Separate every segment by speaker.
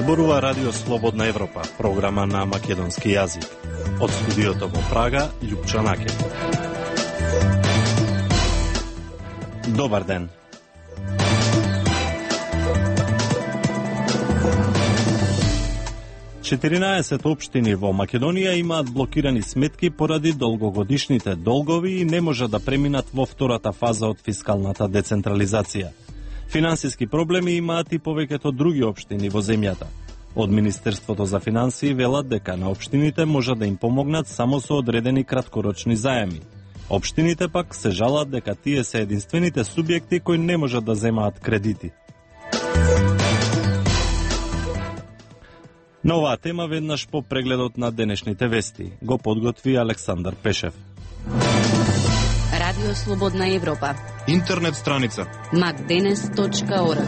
Speaker 1: Зборува Радио Слободна Европа, програма на македонски јазик. Од студиото во Прага, Љупчо Наке. Добар ден. Четиринаесет општини во Македонија имаат блокирани сметки поради долгогодишните долгови и не може да преминат во втората фаза од фискалната децентрализација. Финансиски проблеми имаат и повеќето други општини во земјата. Од Министерството за финансии велат дека на општините може да им помогнат само со одредени краткорочни заеми. Општините пак се жалат дека тие се единствените субјекти кои не можат да земаат кредити. На оваа тема веднаш по прегледот на денешните вести го подготви Александар Пешев.
Speaker 2: Радио Слободна Европа.
Speaker 3: Интернет страница
Speaker 2: macdenes.org.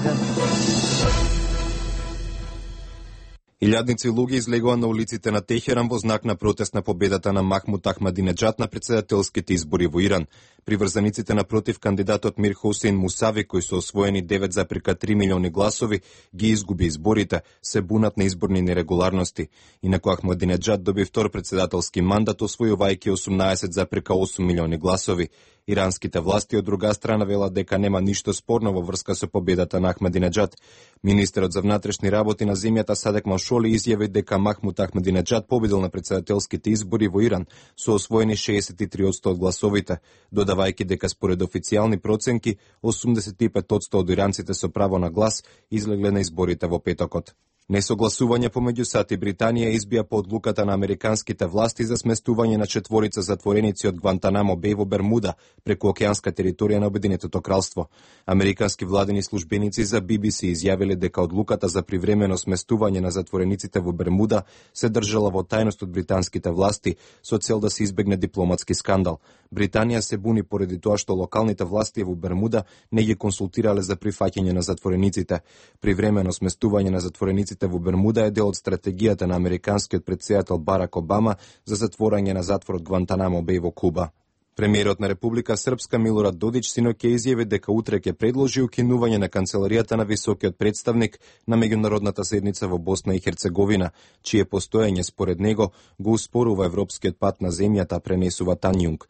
Speaker 3: Илјадници луѓе излегува на улиците на Техеран во знак на протест на победата на Махмуд Ахмадинеджад на претседателските избори во Иран. Приврзаниците напротив кандидатот Мир Хосейн Мусави, кои со освоени 9,3 милиони гласови, ги изгуби изборите, се бунат на изборни нерегуларности. Инаку Ахмадинеджад доби втор претседателски мандат, освојувајќи 18,8 милиони гласови. Иранските власти од друга страна велат дека нема ништо спорно во врска со победата на Ахмадинеджад. Министерот за внатрешни работи на земјата Садек Малшоли изјави дека Махмуд Ахмадинеджад победил на претседателските избори во Иран со освоени 63% од гласовите, додавајќи дека според официјални проценки 85% од иранците со право на глас излегле на изборите во петокот. Несогласување помеѓу САД и Британија избија по одлуката на американските власти за сместување на 4 затвореници од Гвантанамо Беј во Бермуда преку океанска територија на Обединетото кралство. Американски владени службеници за BBC изјавиле дека одлуката за привремено сместување на затворениците во Бермуда се држала во тајност од британските власти со цел да се избегне дипломатски скандал. Британија се буни поради тоа што локалните власти во Бермуда не ги консултирале за прифаќање на затворениците. Привремено сместување на затворениците во Бермуда е дел од стратегијата на американскиот претседател Барак Обама за затворање на затворот Гвантанамо Беј во Куба. Премиерот на Република Српска Милорад Додич синоќа изјави дека утре ќе предложи укинување на канцеларијата на високиот представник на меѓународната седница во Босна и Херцеговина, чие постоење според него го успорува европскиот пат на земјата, пренесува Танјунг.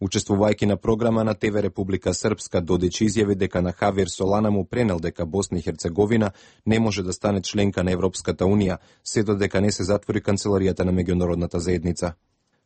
Speaker 3: Учествувајќи на програма на ТВ Република Српска, Додич изјави дека на Хавиер Солана му пренел дека Босна и Херцеговина не може да стане членка на Европската Унија, се додека не се затвори канцеларијата на меѓународната заедница.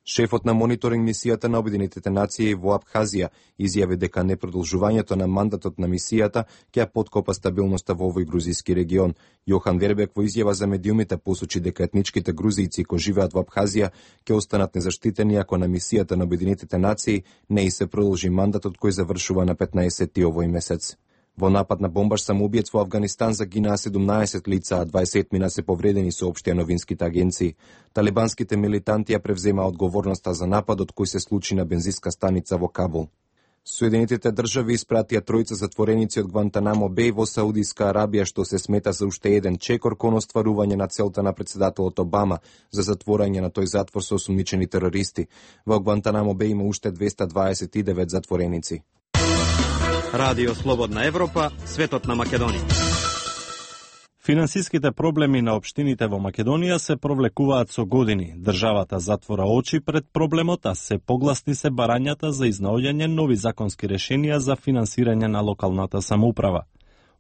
Speaker 3: Шефот на мониторинг мисијата на Обединетите нации во Абхазија изјави дека непродолжувањето на мандатот на мисијата ќе подкопа стабилноста во овој грузијски регион. Јохан Вербек во изјава за медиумите посочи дека етничките грузијци кои живеат во Абхазија ќе останат незаштитени ако на мисијата на Обединетите нации не и се продолжи мандатот кој завршува на 15 овој месец. Во напад на бомбаш самоубиец во Авганистан загинаа 17 лица, а 20 се повредени, соопштија новинските агенции. Талибанските милитанти ја превземаа одговорноста за нападот кој се случи на бензинска станица во Кабул. Соединетите држави испратија тројца затвореници од Гвантанамо Беј во Саудиска Арабија, што се смета за уште еден чекор кон остварување на целта на претседателот Обама за затворање на тој затвор со осумничени терористи. Во Гвантанамо Беј има уште 229 затвореници.
Speaker 4: Радио Слободна Европа, светот на Македонија.
Speaker 1: Финансиските проблеми на општините во Македонија се провлекуваат со години. Државата затвора очи пред проблемот, а се погласни се барањата за изнаоѓање нови законски решенија за финансирање на локалната самоуправа.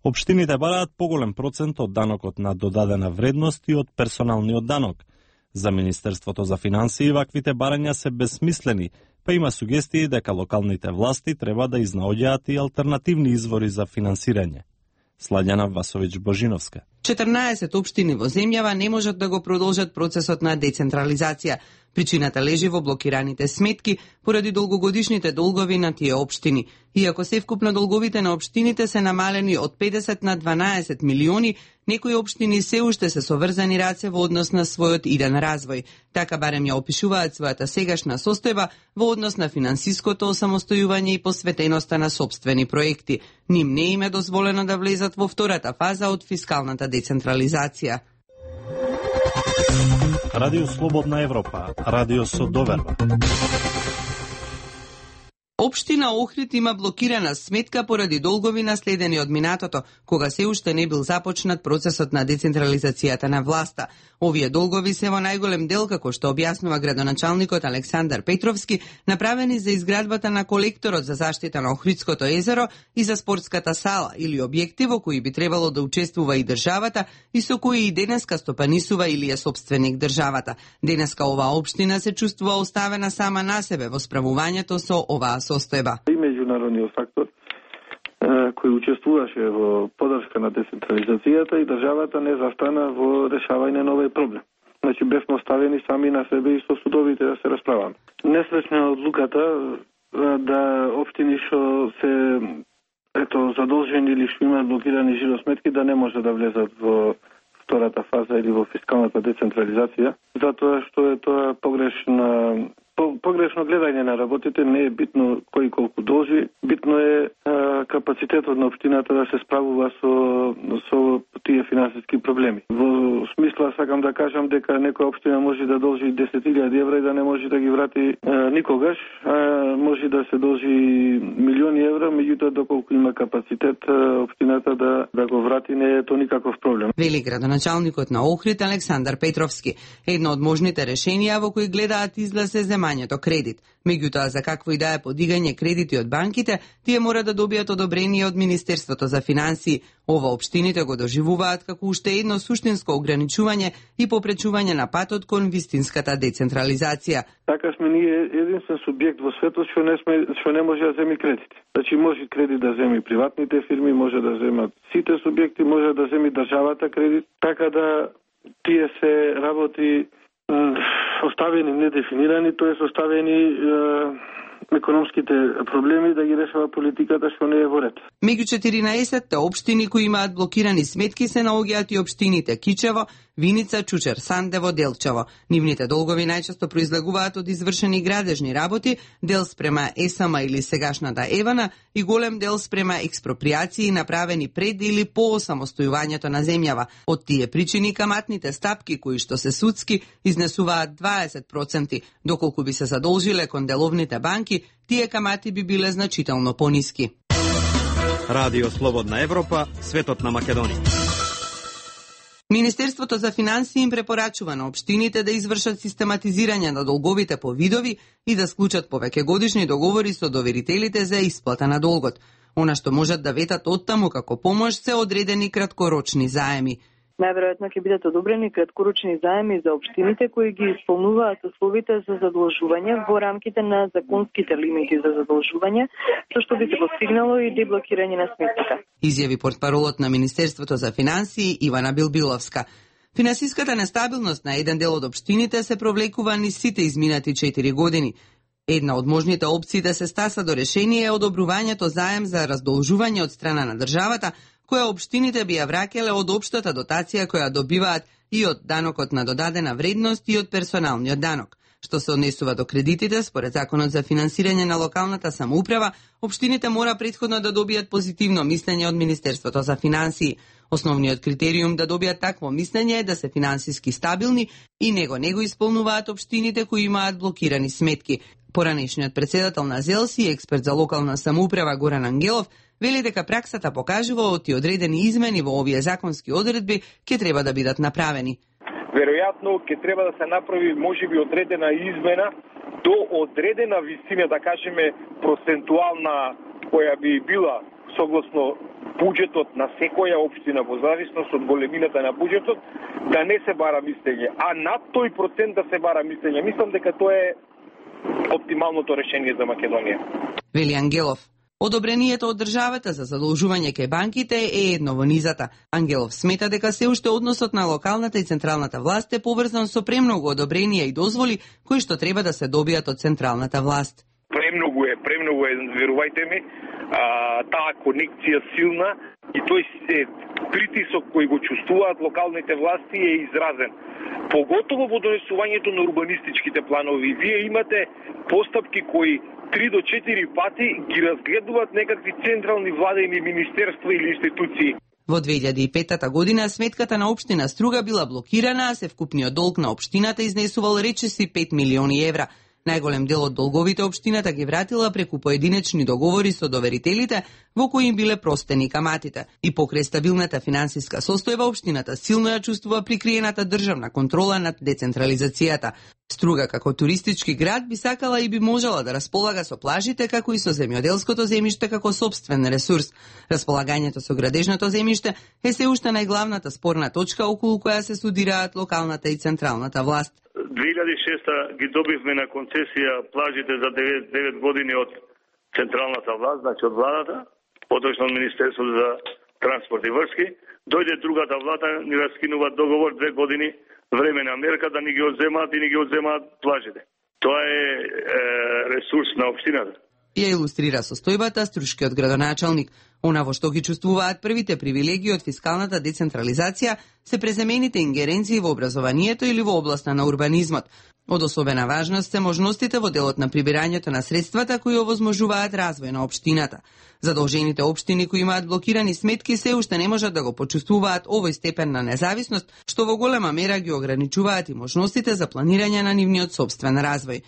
Speaker 1: Општините бараат поголем процент од данокот на додадена вредност и од персоналниот данок. За Министерството за финансии ваквите барања се бесмислени, па има сугестии дека локалните власти треба да изнаоѓаат и алтернативни извори за финансирање. Сладјана Васовиќ-Божиновска.
Speaker 5: 14 општини во земјава не можат да го продолжат процесот на децентрализација. Причината лежи во блокираните сметки поради долгогодишните долгови на тие општини. Иако севкупно долговите на општините се намалени од 50 на 12 милиони, некои општини се уште се со врзани раце во однос на својот иден развој. Така барем ја опишуваат својата сегашна состојба во однос на финансиското осамостојување и посветеноста на сопствени проекти. Ним не им е дозволено да влезат во втората фаза од фискалната децентрализација.
Speaker 1: Радио Слободна Европа, радио со доверба.
Speaker 5: Општина Охрид има блокирана сметка поради долгови наследени од минатото, кога се уште не бил започнат процесот на децентрализацијата на власта. Овие долгови се во најголем дел, како што објаснува градоначалникот Александар Петровски, направени за изградбата на колекторот за заштита на Охридското езеро и за спортската сала или објекти во кои би требало да учествува и државата и со кои и денеска стопанисува или е собственик државата. Денеска оваа општина се чувствува оставена сама на себе во справувањето со оваа состојба.
Speaker 6: И меѓународниот фактор кој учествуваше во поддршка на децентрализацијата и државата не застана во решавање на овој проблем. Значи бевме оставени сами на себе и со судовите да се расправаме. Несвесна е одлуката да општини што се задолжени или што имаат блокирани жиросметки да не може да влезат во втората фаза или во фискалната децентрализација, затоа што е тоа погрешно гледање на работите. Не е битно кој колку должи, битно е капацитетот на општината да се справува со тие финансиски проблеми. Во смисла сакам да кажам дека некоја општина може да должи 10.000 евра и да не може да ги врати никогаш, може да се должи милиони евра, меѓутоа доколку има капацитет општината да го врати, не е тоа никаков проблем.
Speaker 5: Вели градоначалникот на Охрид Александар Петровски. Едно од можните решенија во кои гледаат излез е земањето кредит. Меѓутоа, за какво и да е подигање кредити од банките, тие мора да добијат одобрение од Министерството за финансии. Ова општините го доживуваат како уште едно суштинско ограничување и попречување на патот кон вистинската децентрализација.
Speaker 6: Така сме ние единствен субјект во светот што не може да земи кредити. Значи може кредит да земи приватните фирми, може да земат сите субјекти, може да земи државата кредит, така да тие се работи оставени недефинирани, тоест оставени економските проблеми да ги решава политиката што не е во ред.
Speaker 5: Меѓу 14 општини кои имаат блокирани сметки се наоѓаат и општините Кичево, Виница, Чучер, Сандево, Делчево. Нивните долгови најчесто произлегуваат од извршени градежни работи, дел спрема ЕСАМА или сегашната Евана и голем дел спрема експроприации направени пред или по осамостојувањето на земјава. Од тие причини каматните стапки кои што се судски изнесуваат 20%, доколку би се задолжиле кон деловните банки, тие камати би биле значително пониски.
Speaker 4: Радио Слободна Европа, светот на Македонија.
Speaker 5: Министерството за финансии им препорачува на општините да извршат систематизирање на долговите по видови и да склучат повеќегодишни договори со доверителите за исплата на долгот. Она што можат да ветат оттаму како помош се одредени краткорочни заеми.
Speaker 7: Најверојатно ќе бидат одобрени краткорочни заеми за општините кои ги исполнуваат условите за задолжување во рамките на законските лимити за задолжување, со што би се постигнало и деблокирање на сметката.
Speaker 5: Изјави портпаролот на Министерството за финансии Ивана Билбиловска. Финансиската нестабилност на еден дел од општините се провлекува низ сите изминати 4 години. Една од можните опции да се стаса до решение е одобрувањето заем за раздолжување од страна на државата, која општините би ја враќале од општата дотација која добиваат и од данокот на додадена вредност и од персоналниот данок. Што се однесува до кредитите, според Законот за финансирање на локалната самоуправа, општините мора претходно да добијат позитивно мислење од Министерството за финансии. Основниот критериум да добијат такво мислење е да се финансиски стабилни и него исполнуваат општините кои имаат блокирани сметки. Поранешниот председател на ЗЕЛСИ, експерт за локална самоуправа Горан Ангелов, вели дека праксата покажува оти одредени измени во овие законски одредби ќе треба да бидат направени.
Speaker 8: Веројатно ќе треба да се направи можеби одредена измена до одредена висина, да кажеме процентуална, која би била согласно буџетот на секоја општина во зависност од големината на буџетот, да не се бара мислење, а над тој процент да се бара мислење. Мислам дека тоа е оптималното решение за Македонија.
Speaker 5: Вели Ангелов. Одобрението од државата за задолжување кај банките е едно во низата. Ангелов смета дека се уште односот на локалната и централната власт е поврзан со премногу одобренија и дозволи кои што треба да се добијат од централната власт.
Speaker 8: Премногу е, верувајте ми, таа конекција силна и тој притисок кој го чувствуваат локалните власти е изразен. Поготово во донесувањето на урбанистичките планови. Вие имате постапки кои 3 до 4 пати ги разгледуваат некакви централни владени министерства или институции.
Speaker 5: Во 2005 година сметката на општина Струга била блокирана, а се вкупниот долг на општината изнесувал речиси 5 милиони евра. Најголем дел од долговите општината ги вратила преку поединечни договори со доверителите, во кои им биле простени каматите. И покрај стабилната финансиска состојба, општината силно ја чувствува прикриената државна контрола над децентрализацијата. Струга како туристички град би сакала и би можела да располага со плажите, како и со земјоделското земјиште како собствен ресурс. Располагањето со градежното земјиште е се уште најглавната спорна точка околу која се судираат локалната и централната власт.
Speaker 9: 2006 ги добивме на концесија плажите за 9 години од централната власт, значи од владата, поточно од Министерството за транспорт и врски. Дојде другата влада, ни раскинува договор 2 години време на мерка да ни ги одземаат и ни ги одземаат плажите. Тоа е ресурс на општината.
Speaker 5: Ја илустрира состојбата струшкиот градоначалник. Она во што ги чувствуваат првите привилегии од фискалната децентрализација се преземените ингеренции во образованието или во областа на урбанизмот. Од особена важност се можностите во делот на прибирањето на средствата кои овозможуваат развој на општината. Задолжените општини кои имаат блокирани сметки се уште не можат да го почувствуваат овој степен на независност, што во голема мера ги ограничуваат и можностите за планирање на нивниот собствен развој.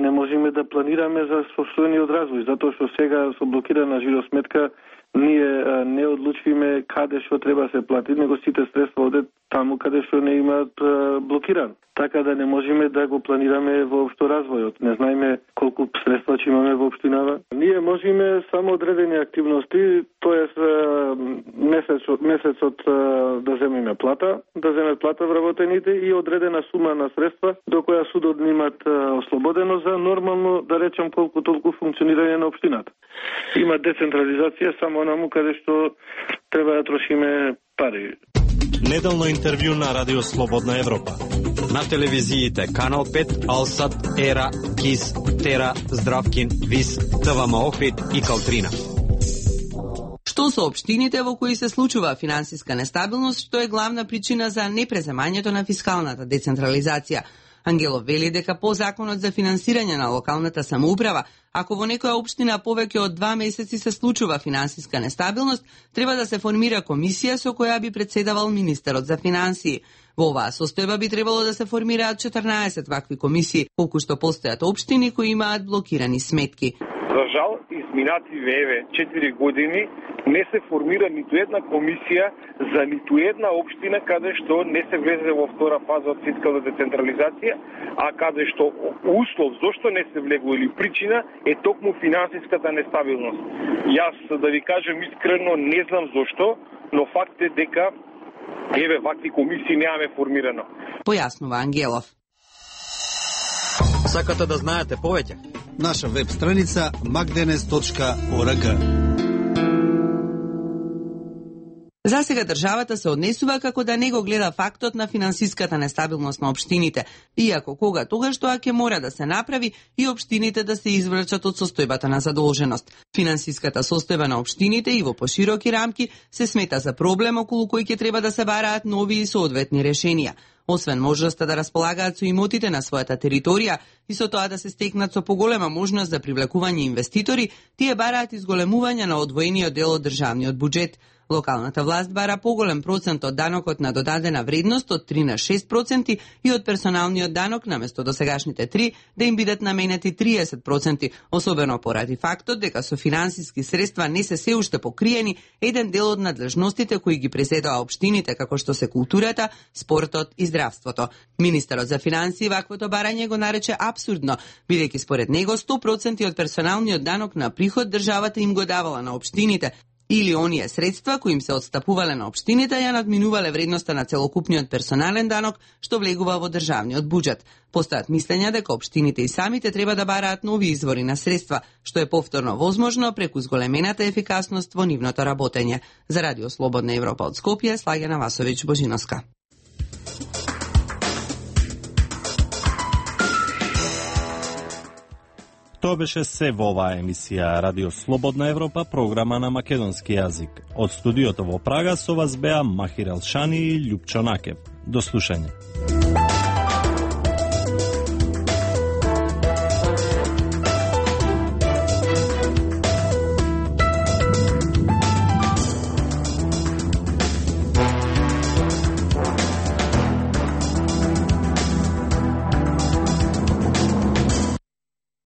Speaker 6: Не можеме да планираме за собствениот развој, затоа што сега со блокирана жиросметка ние не одлучиме каде што треба да се плати, него сите средства одат таму каде што не имаат блокиран. Така да не можеме да го планираме воопшто развојот. Не знаеме колку средства ќе имаме во општинава. Ние можеме само одредени активности, тоест месецот да земеме плата, да земат плата вработените и одредена сума на средства до која судот имат ослободено за нормално, да речем, колку толку функционирање на општината. Има децентрализација само онаму каде што треба да трошиме пари.
Speaker 1: Неделно интервју на Радио Слободна Европа.
Speaker 4: На телевизиите Канал 5, Алсат, Ера, КИС, Тера, Здравкин, ВИС, ТВМ Охрид и Калтрина.
Speaker 5: Што со општините во кои се случува финансиска нестабилност, што е главна причина за непреземањето на фискалната децентрализација? Ангелов вели дека по законот за финансирање на локалната самоуправа, ако во некоја општина повеќе од 2 месеци се случува финансиска нестабилност, треба да се формира комисија со која би председавал министерот за финансии. Во оваа состојба би требало да се формираат 14 вакви комисии, колку што постојат општини кои имаат блокирани сметки.
Speaker 8: За жал, изминативе 4 години не се формира ниту една комисија за ниту една општина каде што не се влезе во втора фаза од фискална децентрализација, а каде што услов зошто не се влегува или причина е токму финансиската нестабилност. Јас, да ви кажем искрено, не знам зошто, но факт е дека еве вакви комисии немаме формирано.
Speaker 5: Појаснува Ангелов.
Speaker 4: Сакате да знаете повеќе?
Speaker 10: Наша веб страница magdenes.org.
Speaker 5: За сега државата се однесува како да не го гледа фактот на финансиската нестабилност на општините, иако кога тогаш тоа ќе мора да се направи и општините да се изврачат од состојбата на задолженост. Финансиската состојба на општините и во пошироки рамки се смета за проблем околу кој ќе треба да се бараат нови и соодветни решенија. Освен можноста да располагаат со имотите на својата територија и со тоа да се стекнат со поголема можност за привлекување инвеститори, тие бараат изголемување на одвоениот дел од државниот буџет. Локалната власт бара поголем процент од данокот на додадена вредност од 3 на 6% и од персоналниот данок наместо досегашните 3 да им бидат наменети 30%, особено поради фактот дека со финансиски средства не се уште покриени еден дел од надлежностите кои ги преседаа општините како што се културата, спортот и здравството. Министерот за финансии ваквото барање го нарече апсурдно, бидејќи според него 100% од персоналниот данок на приход државата им го давала на општините, или оние средства кои им се отстапувале на општините ја надминувале вредноста на целокупниот персонален данок што влегува во државниот буџет. Постојат мислења дека општините и самите треба да бараат нови извори на средства, што е повторно возможно преку зголемената ефикасност во нивното работење. За Радио Слободна Европа од Скопје, Слагена Васовиќ Божиновска.
Speaker 1: Тоа беше се во оваа емисија Радио Слободна Европа, програма на македонски јазик. Од студиото во Прага со вас беа Махир Елшани и Љупчо Накев. До слушање.